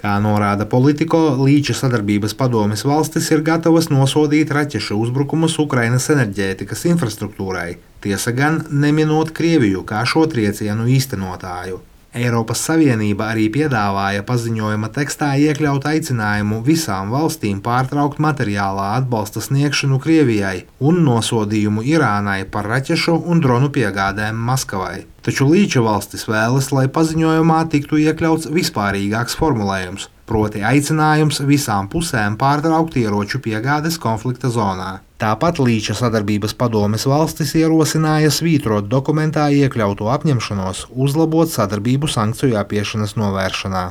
Kā norāda Politico, Līča sadarbības padomes valstis ir gatavas nosodīt raķešu uzbrukumus Ukrainas enerģētikas infrastruktūrai, tiesa gan neminot Krieviju kā šo triecienu īstenotāju. Eiropas Savienība arī piedāvāja paziņojuma tekstā iekļaut aicinājumu visām valstīm pārtraukt materiālā atbalsta sniegšanu Krievijai un nosodījumu Irānai par raķešu un dronu piegādēm Maskavai. Taču Līča valstis vēlas, lai paziņojumā tiktu iekļauts vispārīgāks formulējums, proti aicinājums visām pusēm pārtraukt ieroču piegādes konflikta zonā. Tāpat Līča sadarbības padomes valstis ierosināja svītrot dokumentā iekļauto apņemšanos uzlabot sadarbību sankciju apiešanas novēršanā.